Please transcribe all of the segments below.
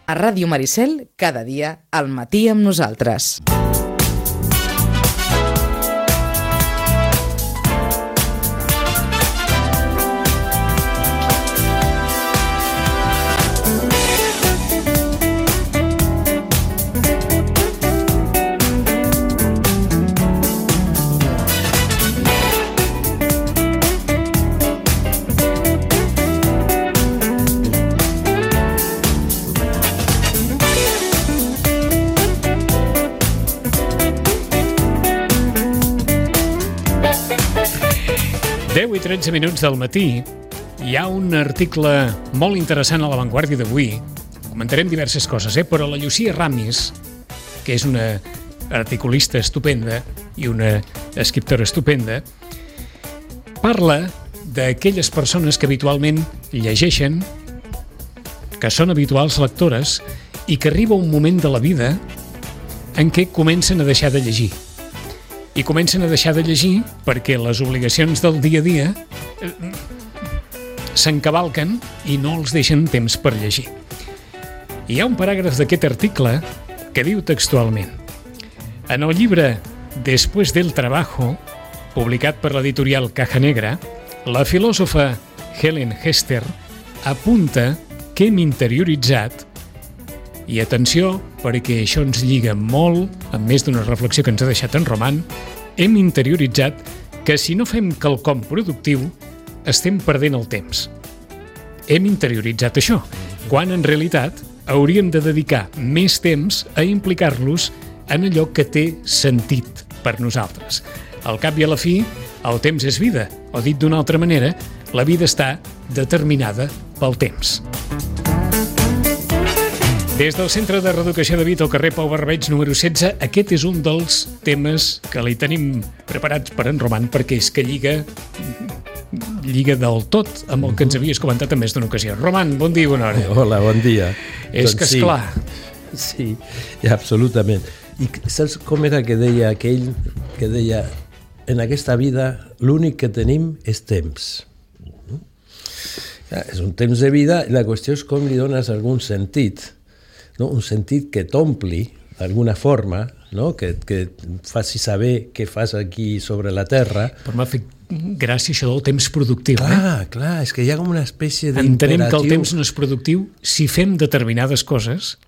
A Ràdio Maricel, cada dia, al matí amb nosaltres. I 13 minuts del matí, hi ha un article molt interessant a La Vanguardia d'avui. Comentarem diverses coses, però la Llucia Ramis, que és una articulista estupenda i una escriptora estupenda, parla d'aquelles persones que habitualment llegeixen, que són habituals lectores i que arriba un moment de la vida en què comencen a deixar de llegir. I comencen a deixar de llegir perquè les obligacions del dia a dia s'encavalquen i no els deixen temps per llegir. Hi ha un paràgraf d'aquest article que diu textualment: en el llibre Después del trabajo, publicat per l'editorial Caja Negra, la filòsofa Helen Hester apunta que hem interioritzat, i atenció, perquè això ens lliga molt, amb més d'una reflexió que ens ha deixat en Roman, hem interioritzat que si no fem quelcom productiu, estem perdent el temps. Hem interioritzat això, quan en realitat hauríem de dedicar més temps a implicar-los en allò que té sentit per nosaltres. Al cap i a la fi, el temps és vida, o dit d'una altra manera, la vida està determinada pel temps. Des del Centre de Reeducació de Vic al carrer Pau Barbeig número 16, aquest és un dels temes que li tenim preparats per en Roman, perquè és que lliga del tot amb el que ens havies comentat en més d'una ocasió. Roman, bon dia i bona hora. Hola, bon dia. És que esclar. Sí, absolutament. I saps com era que deia aquell que deia: en aquesta vida l'únic que tenim és temps. És un temps de vida i la qüestió és com li dones algun sentit. No? Un sentit que t'ompli d'alguna forma, no? que et faci saber què fas aquí sobre la Terra. Però m'ha fet gràcia això del temps productiu. Clar, és que hi ha com una espècie d'imperatiu. Entenem que el temps no és productiu si fem determinades coses,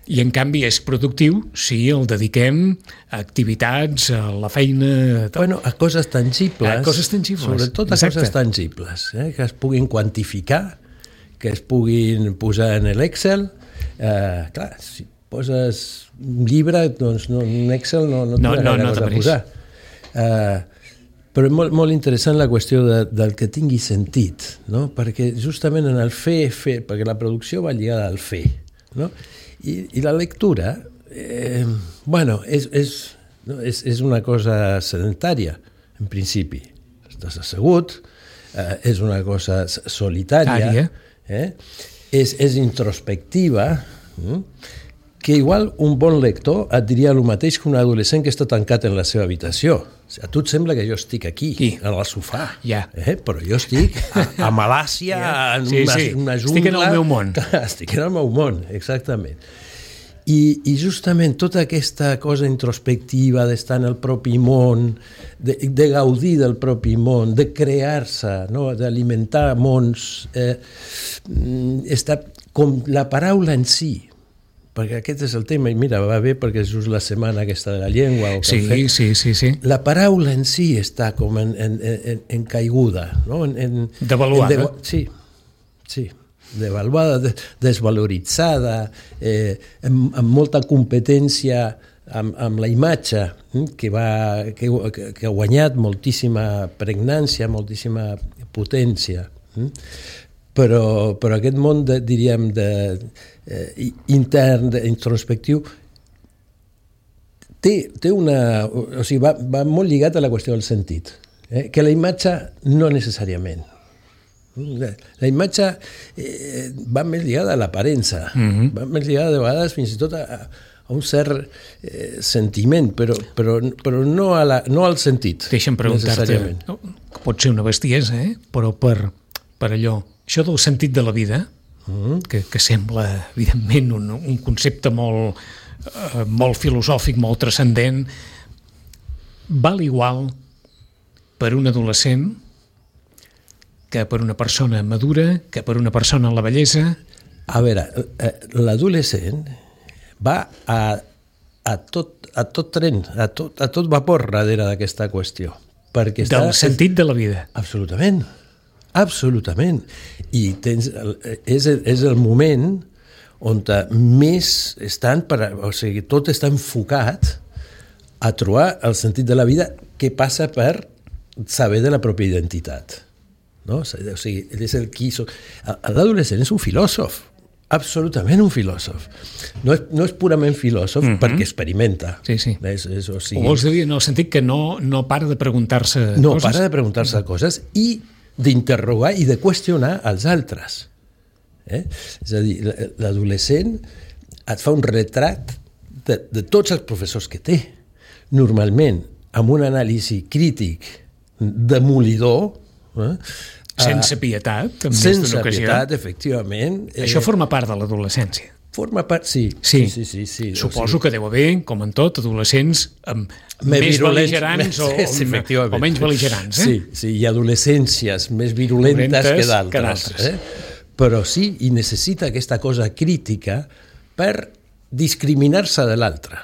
i en canvi és productiu si el dediquem a activitats, a la feina... Bueno, a coses tangibles. A coses tangibles. Sobretot a coses tangibles, que es puguin quantificar, que es puguin posar en l'Excel. Clar, si poses un llibre, doncs un Excel no t'hauràs de posar. Però és molt interessant la qüestió del que tingui sentit, no? Perquè justament en el fer, perquè la producció va lligada al fer, no? I la lectura, és una cosa sedentària, en principi. Estàs assegut, és una cosa solitària, és introspectiva, que igual un bon lector et diria el mateix que un adolescent que està tancat en la seva habitació. O sigui, a tu et sembla que jo estic aquí, en el sofà, però jo estic a Malàcia, en una jungla... Estic en el meu món. Estic en el meu món, exactament. I justament tota aquesta cosa introspectiva d'estar en el propi món, de gaudir del propi món, de crear-se, no? D'alimentar mons, està com la paraula en si, perquè aquest és el tema, i mira, va bé perquè és just la setmana aquesta de la llengua. Sí. La paraula en si està com en caiguda, no? Devaluada. Sí. Devaluada, desvaloritzada, amb molta competència amb la imatge, que ha guanyat moltíssima pregnància, moltíssima potència. Però aquest món, diríem, intern, introspectiu, té una... O sigui, va molt lligat a la qüestió del sentit, que la imatge no necessàriament. La imatge va més lligada a l'aparença, va més lligada de vegades fins i tot a un cert sentiment, però no al sentit. Deixa'm preguntar-te, pot ser una bestiesa, però per allò, això del sentit de la vida, que sembla, evidentment, un concepte molt filosòfic, molt transcendent, val igual per un adolescent que per una persona madura, que per una persona en la vellesa? A veure, l'adolescent va a tot tren, a tot vapor darrere d'aquesta qüestió. Del sentit de la vida. Absolutament, absolutament. I és el moment on més estan, o sigui, tot està enfocat a trobar el sentit de la vida que passa per saber de la pròpia identitat. No? O sigui, ell és el qui... L'adolescent és un filòsof, absolutament un filòsof. No és purament filòsof perquè experimenta. Sí, sí. O sigui, o vols dir en el sentit que no para de preguntar-se coses? No para de preguntar-se coses i d'interrogar i de qüestionar els altres. És a dir, l'adolescent et fa un retrat de tots els professors que té. Normalment, amb un anàlisi crític demolidor, sense pietat, en més sense d'una ocasió. Pietat, efectivament. Això forma part de l'adolescència. Forma part, sí. Suposo que deu haver, com en tot, adolescents més bel·ligerants o menys bel·ligerants. Sí, hi ha adolescències més virulentes que d'altres. Però sí, i necessita aquesta cosa crítica per discriminar-se de l'altre.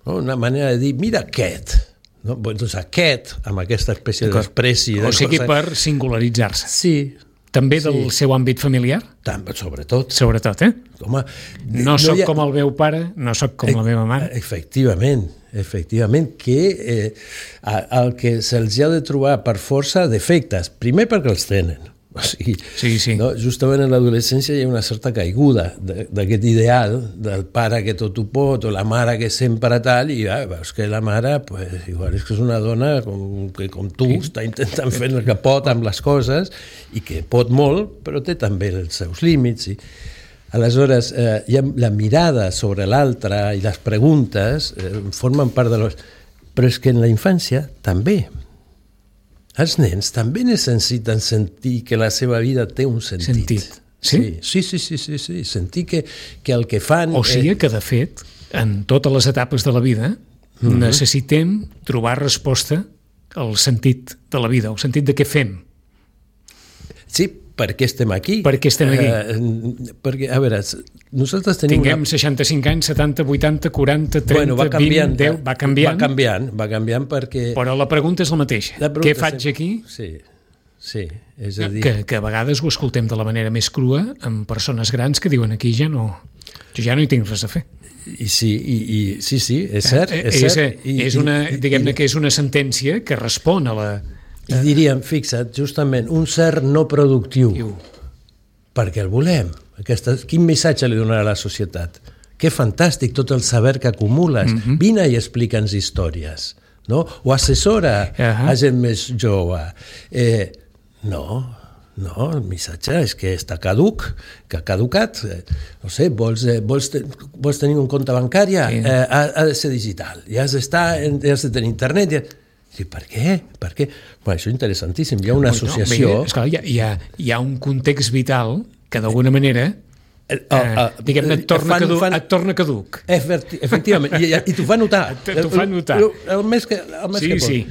Una manera de dir, mira aquest, no? Doncs aquest, amb aquesta espècie d'espècie... O sigui, per singularitzar-se. Sí. També del seu àmbit familiar? Sobretot. Sobretot, Home, no soc com el meu pare, no soc com la meva mare. Efectivament, que el que se'ls ha de trobar per força defectes, primer perquè els tenen. O sigui, sí. No? Justament en l'adolescència hi ha una certa caiguda d'aquest ideal del pare que tot ho pot o la mare que sempre tal, i veus que la mare pues, igual és que és una dona com tu, està intentant fer el que pot amb les coses i que pot molt, però té també els seus límits. Aleshores, hi ha la mirada sobre l'altre i les preguntes formen part de però és que en la infància també. Els nens també necessiten sentir que la seva vida té un sentit. Sí? Sí. Sentir que el que fan... O sigui que, de fet, en totes les etapes de la vida necessitem trobar resposta al sentit de la vida, al sentit de què fem. Sí, per què estem aquí? Per què estem aquí? Perquè, a veure, nosaltres tenim... Tinguem 65 anys, 70, 80, 40, 30, 20, 10... Va canviant perquè... Però la pregunta és la mateixa. Què faig aquí? Sí, és a dir... Que a vegades ho escoltem de la manera més crua amb persones grans que diuen aquí jo ja no hi tinc res a fer. Sí, és cert. Diguem-ne que és una sentència que respon a la... I diríem, fixa't, justament, un cert no productiu. Perquè el volem. Quin missatge li donarà a la societat? Que fantàstic tot el saber que acumules. Vine i explica'ns històries. No? O assessora a gent més jove. No, el missatge és que està caduc, que ha caducat. No sé, vols tenir un compte bancari? Ha de ser digital. I has de tenir internet. Sí, per què? Bueno, això és interessantíssim. Hi ha una associació... Esclar, hi ha un context vital que d'alguna manera diguem-ne et torna caduc. Efectivament, i t'ho fa notar. El més que pot. Sí.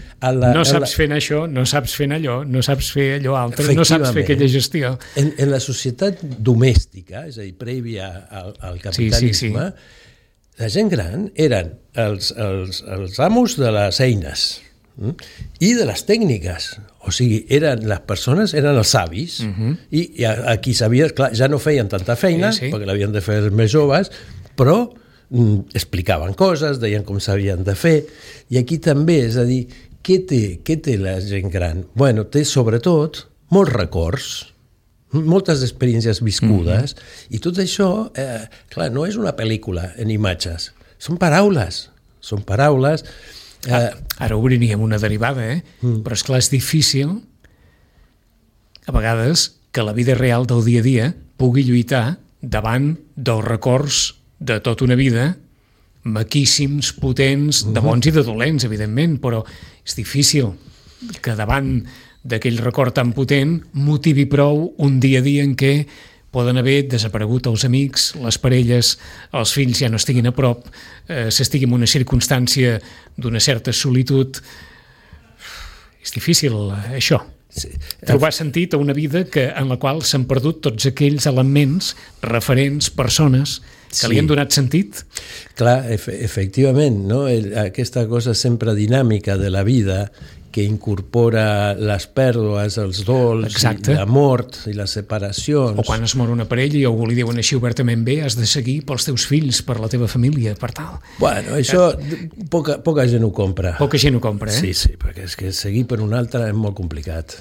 No saps fer això, no saps fer allò, no saps fer allò altre, no saps fer aquella gestió. En la societat domèstica, és a dir, prèvia al capitalisme, la gent gran eren els amos de les eines i de les tècniques. O sigui, les persones eren els savis i aquí sabia, clar, ja no feien tanta feina perquè l'havien de fer els més joves, però explicaven coses, deien com s'havien de fer, i aquí també, és a dir, què té la gent gran? Bueno, té sobretot molts records, moltes experiències viscudes, i tot això, clar, no és una pel·lícula en imatges, són paraules. Ara obriríem una derivada, però esclar, és difícil a vegades que la vida real del dia a dia pugui lluitar davant dels records de tota una vida, maquíssims, potents, de bons i de dolents, evidentment, però és difícil que davant d'aquell record tan potent motivi prou un dia a dia en què poden haver desaparegut els amics, les parelles, els fills ja no estiguin a prop, s'estigui en una circumstància d'una certa solitud. És difícil, això. Sí. Trobar sentit a una vida en la qual s'han perdut tots aquells elements, referents, persones que li han donat sentit. Clar, efectivament, no? Aquesta cosa sempre dinàmica de la vida que incorpora les pèrdues, els dols, la mort i les separacions. O quan es mor una parella i algú li diuen així obertament bé, has de seguir pels teus fills, per la teva família, per tal. Bueno, això poca gent ho compra. Poca gent ho compra, Sí, perquè és que seguir per un altre és molt complicat.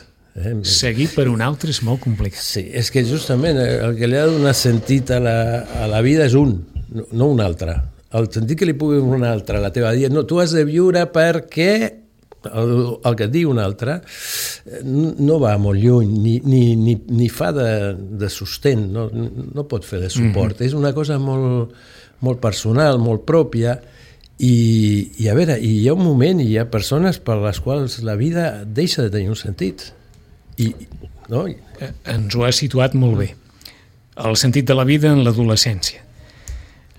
Seguir per un altre és molt complicat. Sí, és que justament el que li ha donat sentit a la vida és no un altre. El sentit que li pugui un altre a la teva vida, no, tu has de viure perquè el que et diu un altre no va molt lluny ni fa de sostén, no pot fer de suport. És una cosa molt, molt personal, molt pròpia, i a veure, hi ha un moment i hi ha persones per les quals la vida deixa de tenir un sentit. Ens ho ha situat molt bé. El sentit de la vida en l'adolescència.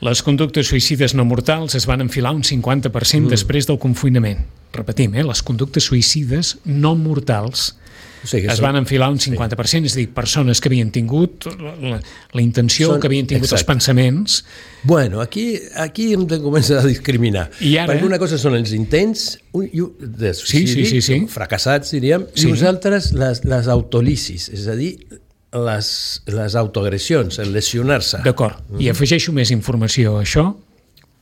Les conductes suïcides no mortals es van enfilar un 50% després del confinament. Repetim, les conductes suïcides no mortals es van enfilar un 50%, és a dir, persones que havien tingut la intenció, que havien tingut els pensaments. Bueno, aquí hem de començar a discriminar. Perquè una cosa són els intents de suïcidi, fracassats, diríem, i nosaltres les autolisis, és a dir, les autoagressions, el lesionar-se. D'acord, i afegeixo més informació a això,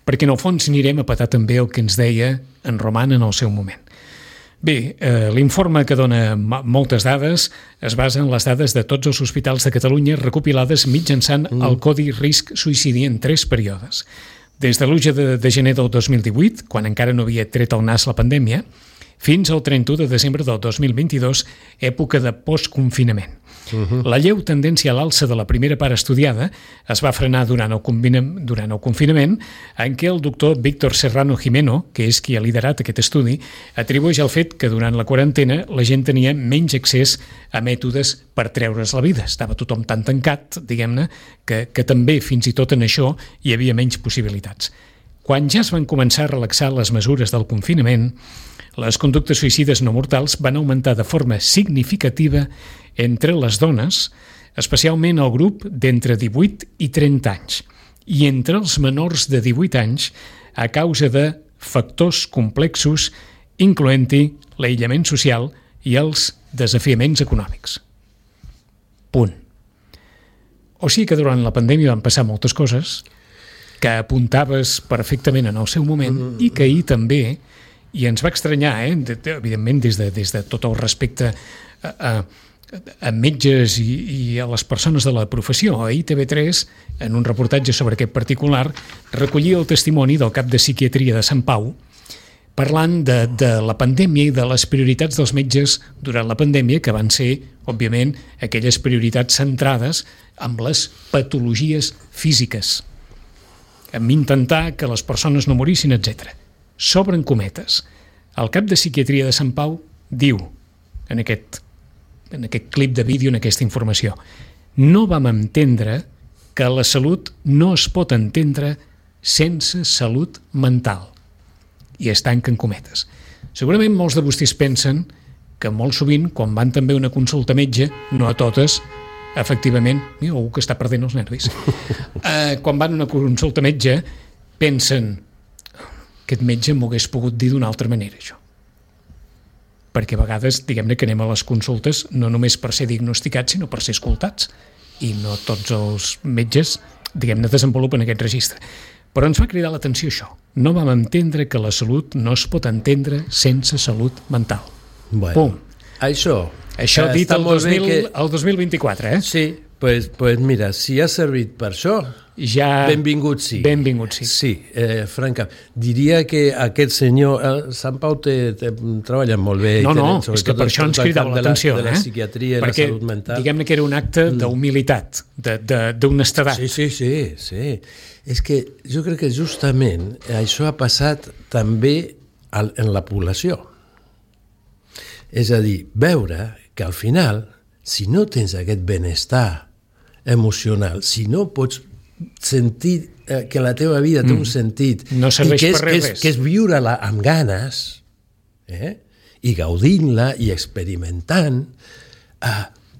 perquè en el fons anirem a petar també el que ens deia en Roman en el seu moment. Bé, l'informe que dona moltes dades es basa en les dades de tots els hospitals de Catalunya recopilades mitjançant el Codi Risc Suïcidi en 3 períodes. Des de l'1 de gener del 2018, quan encara no havia tret el nas la pandèmia, fins al 31 de desembre del 2022, època de postconfinament. La lleu tendència a l'alça de la primera part estudiada es va frenar durant el confinament, en què el doctor Víctor Serrano Jimeno, que és qui ha liderat aquest estudi, atribueix el fet que durant la quarantena la gent tenia menys accés a mètodes per treure's la vida. Estava tothom tan tancat, diguem-ne, que també fins i tot en això hi havia menys possibilitats. Quan ja es van començar a relaxar les mesures del confinament, les conductes suïcides no mortals van augmentar de forma significativa entre les dones, especialment el grup d'entre 18 i 30 anys, i entre els menors de 18 anys a causa de factors complexos, incloent-hi l'aïllament social i els desafiaments econòmics. Punt. O sigui que durant la pandèmia van passar moltes coses que apuntaves perfectament en el seu moment i que ahir també, i ens va estranyar, evidentment des de tot el respecte a metges i a les persones de la professió. Ahir TV3, en un reportatge sobre aquest particular, recollia el testimoni del cap de psiquiatria de Sant Pau parlant de la pandèmia i de les prioritats dels metges durant la pandèmia, que van ser, òbviament, aquelles prioritats centrades en les patologies físiques, en intentar que les persones no morissin, etc. S'obren cometes. El cap de psiquiatria de Sant Pau diu, en aquest clip de vídeo, en aquesta informació, no vam entendre que la salut no es pot entendre sense salut mental. I es tanquen cometes. Segurament molts de vostès pensen que molt sovint, quan van també a una consulta metge, no a totes, efectivament, mira, algú que està perdent els nervis, quan van a una consulta metge, pensen, aquest metge m'ho hagués pogut dir d'una altra manera, això. Perquè a vegades, diguem-ne, que anem a les consultes no només per ser diagnosticats, sinó per ser escoltats. I no tots els metges, diguem-ne, desenvolupen aquest registre. Però ens va cridar l'atenció això. No vam entendre que la salut no es pot entendre sense salut mental. Bueno, pum. Això dit el 2024, eh? Sí, pues mira, si ha servit per això, benvingut sí. Benvingut sí. Sí, franca. Diria que aquest senyor, Sant Pau treballa molt bé. No, és que per això ens cridava l'atenció. De la psiquiatria i la salut mental. Diguem-ne que era un acte d'humilitat, d'honestedat. Sí. És que jo crec que justament això ha passat també en la població. És a dir, veure que al final, si no tens aquest benestar emocional, si no pots sentir que la teva vida té un sentit no serveix per res. Que és viure-la amb ganes, i gaudint-la i experimentant,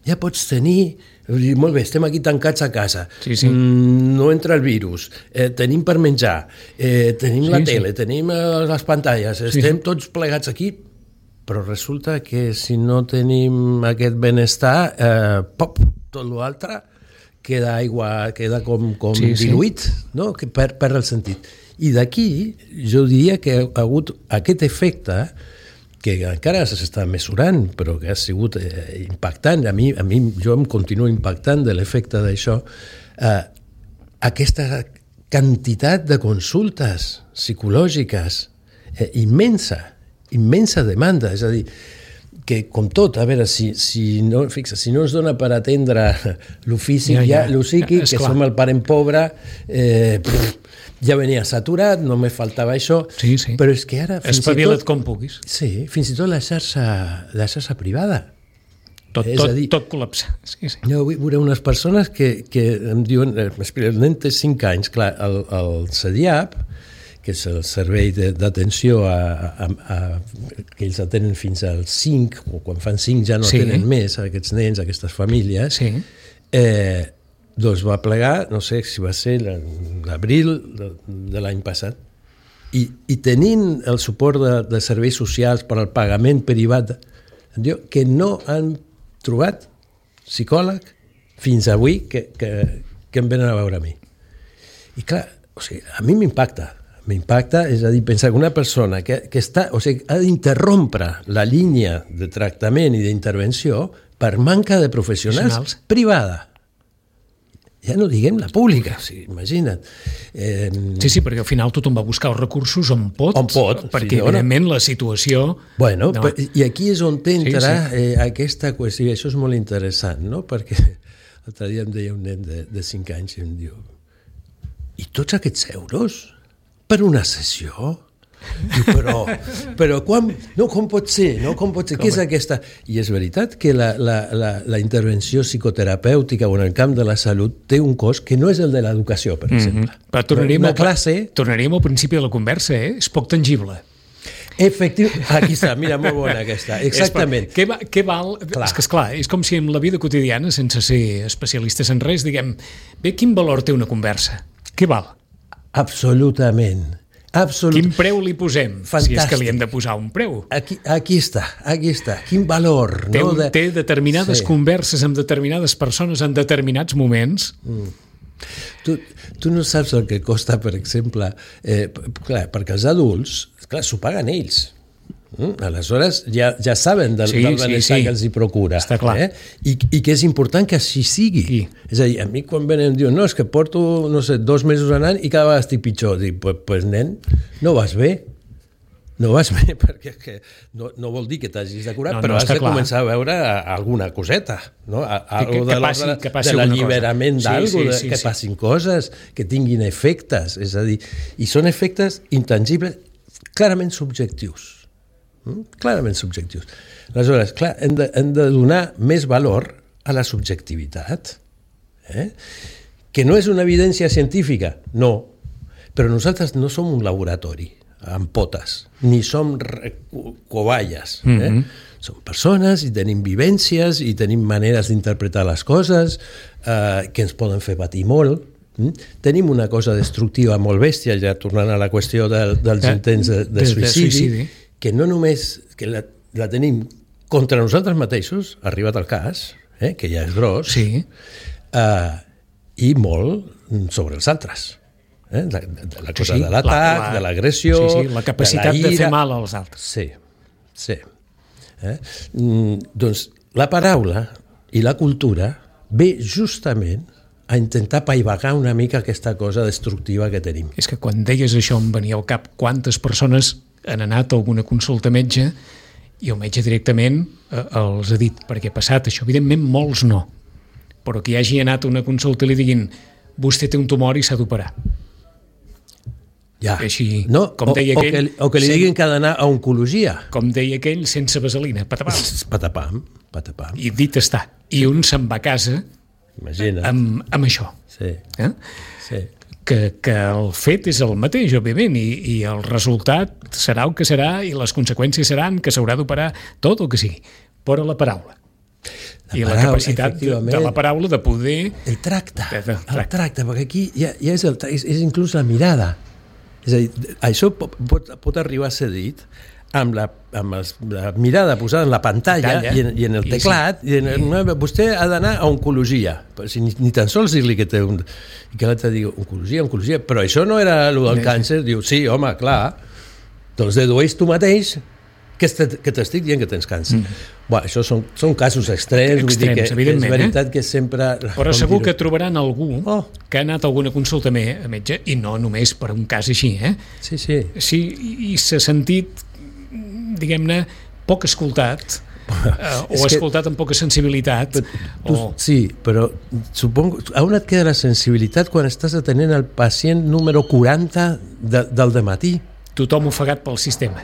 ja pots tenir... Molt bé, estem aquí tancats a casa, no entra el virus, tenim per menjar, tenim la tele, tenim les pantalles, estem tots plegats aquí, però resulta que si no tenim aquest benestar, tot l'altre queda aigua, queda com diluït, no? Que perd el sentit. I d'aquí jo diria que ha hagut aquest efecte que encara s'està mesurant, però que ha sigut impactant. A mi jo em continuo impactant de l'efecte d'això. Aquesta quantitat de consultes psicològiques immensa demanda. És a dir, que com tot, a veure, si no es dona per atendre lo físic, lo psíquic, que som el parent pobre, ja venia saturat, no me faltava això, però és que ara... Espavila't com puguis. Sí, fins i tot la xarxa privada. Tot col·lapsa. Jo vull veure unes persones que em diuen, el nen té 5 anys, clar, el CEDIAP, que és el servei d'atenció que ells atenen fins als 5, o quan fan 5 ja no atenen més a aquests nens, a aquestes famílies, doncs va plegar, no sé si va ser l'abril de l'any passat, i tenint el suport de serveis socials per al pagament privat, que no han trobat psicòleg fins avui que em venen a veure a mi. I clar, a mi m'impacta, és a dir, pensar que una persona que està, ha d'interrompre la línia de tractament i d'intervenció per manca de professionals privada. Ja no diguem la pública, imagina't. Sí, perquè al final tothom va buscar els recursos on pot, perquè evidentment la situació... Bueno, i aquí és on entra aquesta qüestió, i això és molt interessant, no? Perquè l'altre dia em deia un nen de 5 anys i em diu: i tots aquests euros per una sessió? Però com pot ser? Què és aquesta? I és veritat que la intervenció psicoterapèutica o en el camp de la salut té un cost que no és el de l'educació, per exemple. Però tornaríem al principi de la conversa, és poc tangible. Efectivament, aquí està, mira, molt bona aquesta, exactament. Què val? És que esclar, és com si en la vida quotidiana, sense ser especialistes en res, diguem, bé, quin valor té una conversa? Què val? Absolutament. Quin preu li posem? Fantàstic. Si és que li hem de posar un preu. Aquí està. Quin valor. Té determinades converses amb determinades persones en determinats moments. Tu no saps el que costa, per exemple, perquè els adults, s'ho paguen ells. Aleshores ja saben del benestar que els hi procura. Està clar. I que és important que així sigui. És a dir, a mi quan venen em diuen, no, és que porto, 2 mesos anant i cada vegada estic pitjor. Dic, pues nen, no vas bé. No vas bé, perquè no vol dir que t'hagis de curar, però has de començar a veure alguna coseta, no? De l'alliberament d'alguna, que passin coses, que tinguin efectes. És a dir, i són efectes intangibles, clarament subjectius. Clarament subjectius. Aleshores, clar, hem de donar més valor a la subjectivitat, que no és una evidència científica, no, però nosaltres no som un laboratori amb potes, ni som cobayes. Som persones i tenim vivències i tenim maneres d'interpretar les coses que ens poden fer patir molt. Tenim una cosa destructiva molt bèstia, ja tornant a la qüestió dels intents de suïcidi, que no només que la tenim contra nosaltres mateixos, arribat al cas, que ja és gros, i molt sobre els altres. La cosa de l'atac, de l'agressió, la capacitat de fer mal als altres. Sí. Doncs la paraula i la cultura ve justament a intentar paivagar una mica aquesta cosa destructiva que tenim. És que quan deies això em venia al cap quantes persones han anat a alguna consulta metge i el metge directament els ha dit perquè ha passat això. Evidentment molts no, però que hi hagi anat a una consulta i li diguin vostè té un tumor i s'ha d'operar. Ja. O que li diguin que ha d'anar a oncologia. Com deia aquell, sense vaselina, patapam. Patapam. I dit està. I un se'n va a casa imagina't. Amb això. Sí, sí. Que el fet és el mateix, òbviament, i el resultat serà el que serà i les conseqüències seran que s'haurà d'operar tot el que sigui. Però la paraula. La capacitat de la paraula de poder... El tracte, perquè aquí ja és inclús la mirada. És a dir, això pot arribar a ser dit amb la mirada posada en la pantalla i en el teclat, vostè ha d'anar a oncologia, ni tan sols dir-li que té i que l'altre digui oncologia, però això no era el del càncer, diu, sí, home, clar, doncs dedueix tu mateix que t'estic dient que tens càncer. Això són casos extrems, vull dir que és veritat que sempre... Però segur que trobaran algú que ha anat a alguna consulta a metge, i no només per un cas així, Sí, sí. Sí, i s'ha sentit, diguem-ne, poc escoltat, o escoltat amb poca sensibilitat. Sí, però supongo... On et queda la sensibilitat quan estàs atenent el pacient número 40 del dematí? Tothom ofegat pel sistema.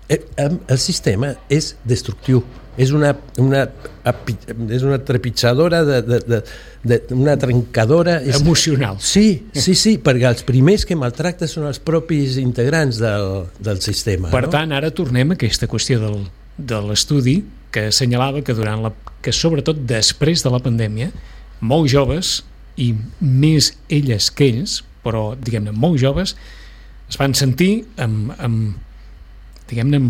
El sistema és destructiu, és una trepitjadora, una trencadora... Emocional. Sí, perquè els primers que maltracten són els propis integrants del sistema. Per tant, ara tornem a aquesta qüestió de l'estudi que assenyalava que sobretot després de la pandèmia, molts joves, i més elles que ells, però diguem-ne molt joves, es van sentir amb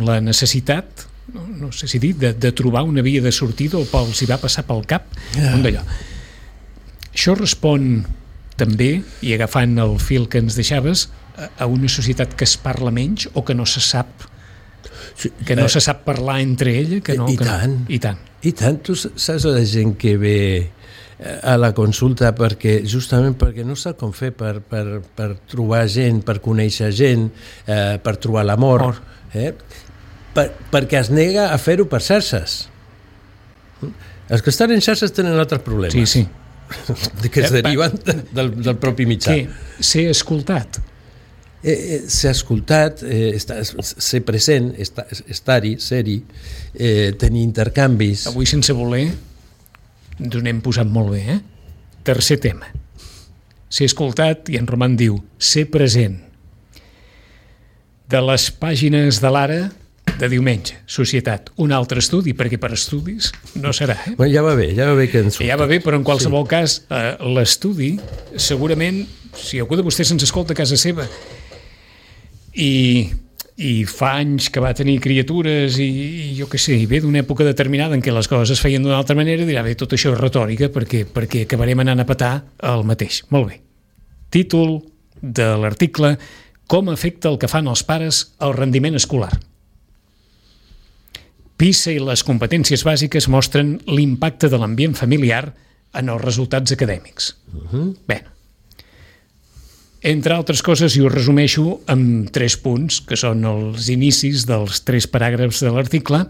la necessitat, no sé si dir, de trobar una via de sortida, o els hi va passar pel cap un d'allò. Això respon també, i agafant el fil que ens deixaves, a una societat que es parla menys o que no se sap parlar entre ella? I tant. Tu saps la gent que ve a la consulta justament perquè no sap com fer per trobar gent, per conèixer gent, per trobar l'amor, perquè es nega a fer-ho per xarxes. Els que estan en xarxes tenen altres problemes. Sí. Que es deriven del propi mitjà. Ser escoltat. Ser escoltat, ser present, estar-hi, ser-hi, tenir intercanvis. Avui, sense voler, ens n'hem posat molt bé, Tercer tema. Ser escoltat, i en Roman diu, ser present. De les pàgines de l'Ara de diumenge, Societat, un altre estudi, perquè per estudis no serà. Bueno, ja va bé que ens... Ja va bé, però en qualsevol cas, l'estudi, segurament, si algú de vostès ens escolta a casa seva i fa anys que va tenir criatures i jo què sé, i ve d'una època determinada en què les coses es feien d'una altra manera, dirà, bé, tot això és retòrica perquè acabarem anant a petar el mateix. Molt bé. Títol de l'article: Com afecta el que fan els pares al rendiment escolar. PISA i les competències bàsiques mostren l'impacte de l'ambient familiar en els resultats acadèmics. Bé, entre altres coses, i ho resumeixo amb 3 punts, que són els inicis dels 3 paràgrafs de l'article.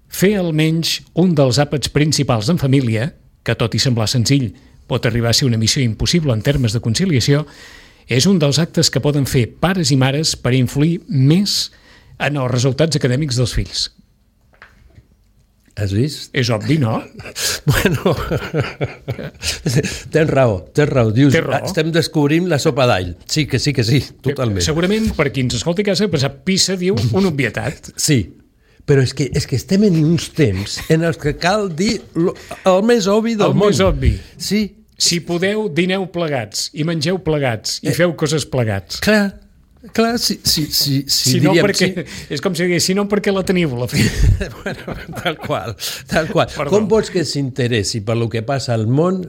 Fer almenys un dels àpats principals en família, que tot i semblar senzill pot arribar a ser una missió impossible en termes de conciliació, és un dels actes que poden fer pares i mares per influir més en els resultats acadèmics dels fills. Has vist? És obvi, no? Bueno, tens raó. Dius, estem descobrint la sopa d'all. Sí, totalment. Segurament, per qui ens escolti a casa, PISA diu una obvietat. Sí, però és que estem en uns temps en els que cal dir el més obvi del món. El més obvi. Sí. Si podeu, dineu plegats, i mengeu plegats, i feu coses plegats. Clar, si no, perquè, és com si digués, si no, perquè la teniu, la fi. Bueno, tal qual. Com vols que s'interessi per lo que passa al món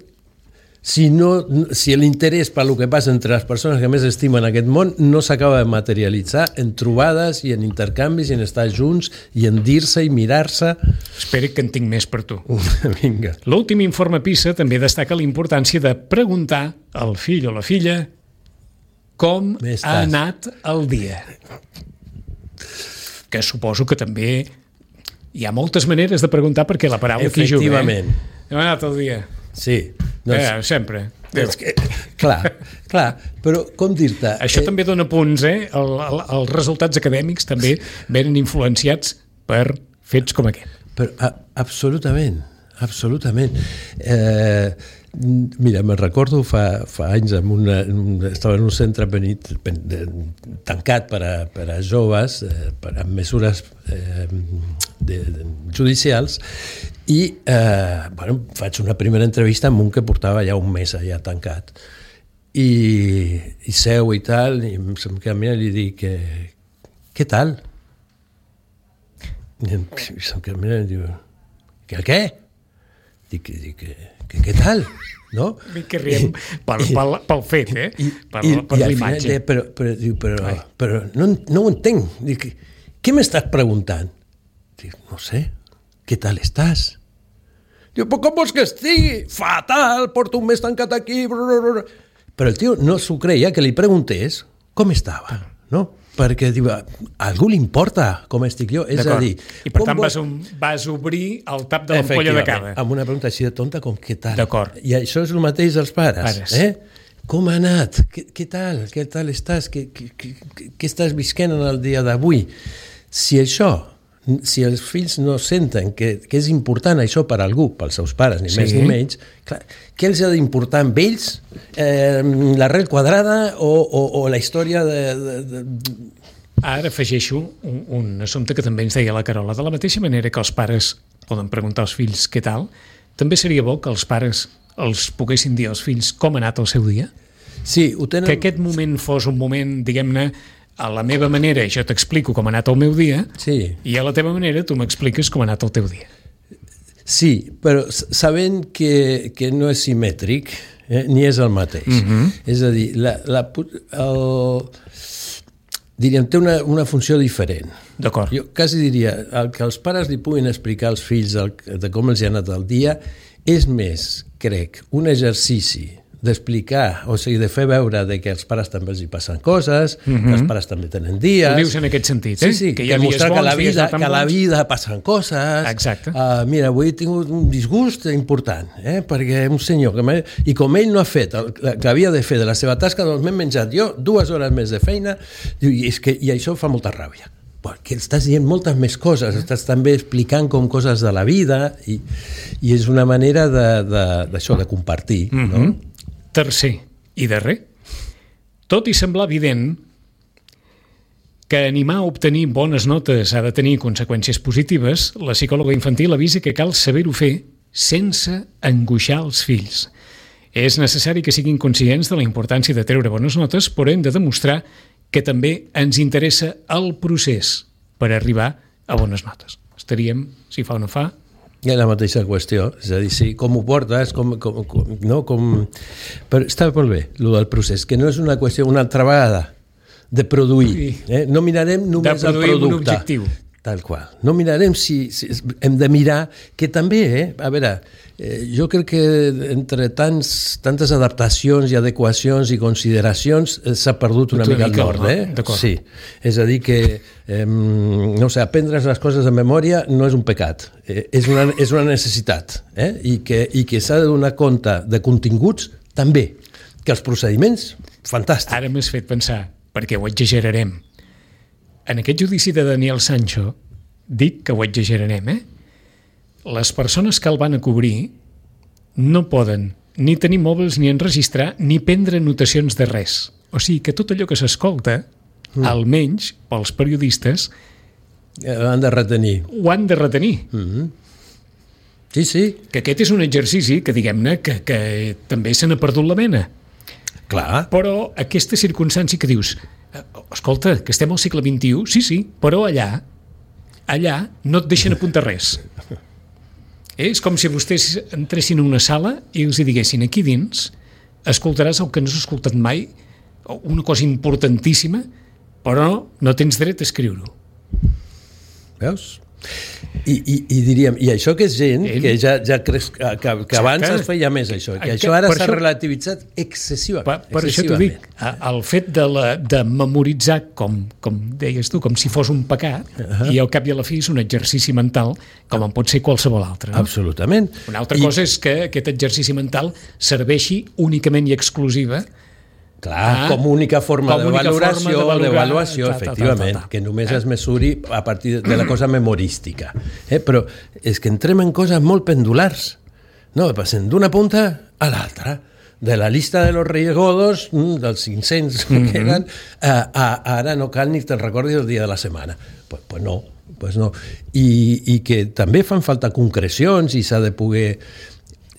si l'interès per lo que passa entre les persones que més estimen aquest món no s'acaba de materialitzar en trobades i en intercanvis i en estar junts i en dir-se i mirar-se? Espera que en tinc més per tu. Vinga. L'últim informe PISA també destaca la importància de preguntar al fill o la filla com ha anat el dia. Que suposo que també hi ha moltes maneres de preguntar perquè la paraula aquí juga. Efectivament. Com ha anat el dia? Sí. Sempre. Clar, però com dir-te... Això també dona punts, Els resultats acadèmics també venen influenciats per fets com aquest. Però, absolutament. Mira, me'n recordo fa anys estava en un centre tancat per a joves amb mesures judicials i faig una primera entrevista amb un que portava ja un mes allà tancat i seu i tal i se'm camina i li dic què tal? I se'm camina i diu què? Dic, què tal? No? Que riem pel fet, per l'imatge. Però no ho entenc. Dic, què m'estàs preguntant? Dic, no sé, què tal estàs? Diu, però com vols que estigui? Fatal, porto un mes tancat aquí. Però el tio no s'ho creia que li preguntés com estava, no? Perquè diu, a algú li importa com estic jo, és a dir... I per tant vas obrir el tap de l'ampolla de cava. Amb una pregunta així de tonta com què tal. D'acord. I això és el mateix dels pares. Com ha anat? Què tal? Què tal estàs? Què estàs visquent en el dia d'avui? Si els fills no senten que és important això per algú, pels seus pares, ni més ni menys, clar, què els ha d'importar amb ells? L'arrel quadrada o la història de... Ara afegeixo un assumpte que també ens deia la Carola. De la mateixa manera que els pares poden preguntar als fills què tal, també seria bo que els pares els poguessin dir als fills com ha anat el seu dia? Sí, ho tenen... Que aquest moment fos un moment, diguem-ne, a la meva manera, jo t'explico com ha anat el meu dia, i a la teva manera tu m'expliques com ha anat el teu dia. Sí, però sabent que no és simètric, ni és el mateix. És a dir, diríem, té una funció diferent. D'acord. Jo quasi diria, el que els pares li puguin explicar als fills de com els ha anat el dia és més, crec, un exercici d'explicar, o sigui, de fer veure que als pares també els hi passen coses, que els pares també tenen dies... Ho dius en aquest sentit, Sí, que mostrar que a la vida passen coses... Exacte. Mira, avui he tingut un disgust important, perquè un senyor... I com ell no ha fet el que havia de fer de la seva tasca, doncs m'he menjat jo 2 hores més de feina i això fa molta ràbia. Que estàs dient moltes més coses, estàs també explicant com coses de la vida i és una manera d'això, de compartir, no? Tercer i darrer, tot i semblar evident que animar a obtenir bones notes ha de tenir conseqüències positives, la psicòloga infantil avisa que cal saber-ho fer sense angoixar els fills. És necessari que siguin conscients de la importància de treure bones notes, però hem de demostrar que també ens interessa el procés per arribar a bones notes. Estaríem, si fa o no fa... És la mateixa qüestió, és a dir, sí, com ho portes, però està molt bé, el del procés, que no és una qüestió una altra vegada de produir, no mirarem només el producte. Un objectiu. Tal qual. No mirarem si hem de mirar, que també, a veure, jo crec que entre tantes adaptacions i adequacions i consideracions s'ha perdut una mica el nord, Sí, és a dir que, no sé, aprendre les coses de memòria no és un pecat, és una necessitat, i que s'ha de donar compte de continguts també, que els procediments, fantàstic. Ara m'has fet pensar, perquè ho exagerarem. En aquest judici de Daniel Sancho, dic que ho exagerarem, les persones que el van a cobrir no poden ni tenir mòbils, ni enregistrar, ni prendre notacions de res. O sigui que tot allò que s'escolta, almenys pels periodistes, ho han de retenir. Sí. Que aquest és un exercici que, diguem-ne, que també se n'ha perdut la mena. Clar. Però aquesta circumstància que dius, escolta, que estem al segle XXI, sí, però allà no et deixen apuntar res. És com si vostès entressin a una sala i els diguessin, aquí dins escoltaràs el que no has escoltat mai, una cosa importantíssima, però no tens dret a escriure-ho. Veus? I diríem, i això que és gent que ja creus que abans es feia més això, que això ara s'ha relativitzat excessivament. Per això t'ho dic, el fet de memoritzar, com deies tu, com si fos un pecat, i al cap i a la fi és un exercici mental com en pot ser qualsevol altre. Absolutament. Una altra cosa és que aquest exercici mental serveixi únicament i exclusiva com única forma de valoració, efectivament, que només es mesuri a partir de la cosa memorística. Però és que entrem en coses molt pendulars. No, passen d'una punta a l'altra. De la llista de los Reyes Godos, dels 500 que queden, ara no cal ni te'n recordis el dia de la setmana. Pues no. I que també fan falta concrecions i s'ha de poder...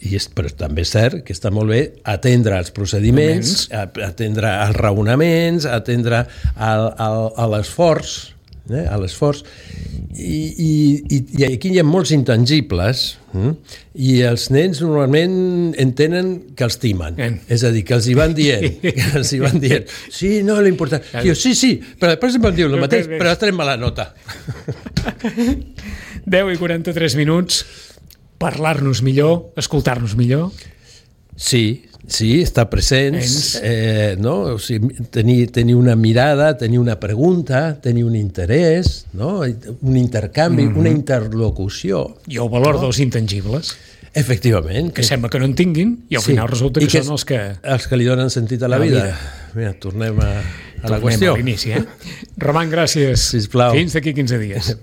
Però també és cert que està molt bé atendre els procediments, atendre els raonaments, atendre a l'esforç, a l'esforç. I aquí hi ha molts intangibles i els nens normalment entenen que els timen. És a dir, que els hi van dient. Sí, no, l'important. Sí, però després em van dir el mateix, però has tret mala nota. 10:43 minuts. Parlar-nos millor, escoltar-nos millor. Sí, estar presents, no? O sigui, tenir una mirada, tenir una pregunta, tenir un interès, no? Un intercanvi, una interlocució. I el valor dels intangibles. Efectivament. Que sembla que no en tinguin i al final resulta que són els que... Els que li donen sentit a la vida. Mira, tornem a la qüestió. Tornem a l'inici, Roman, gràcies. Sisplau. Fins d'aquí 15 dies.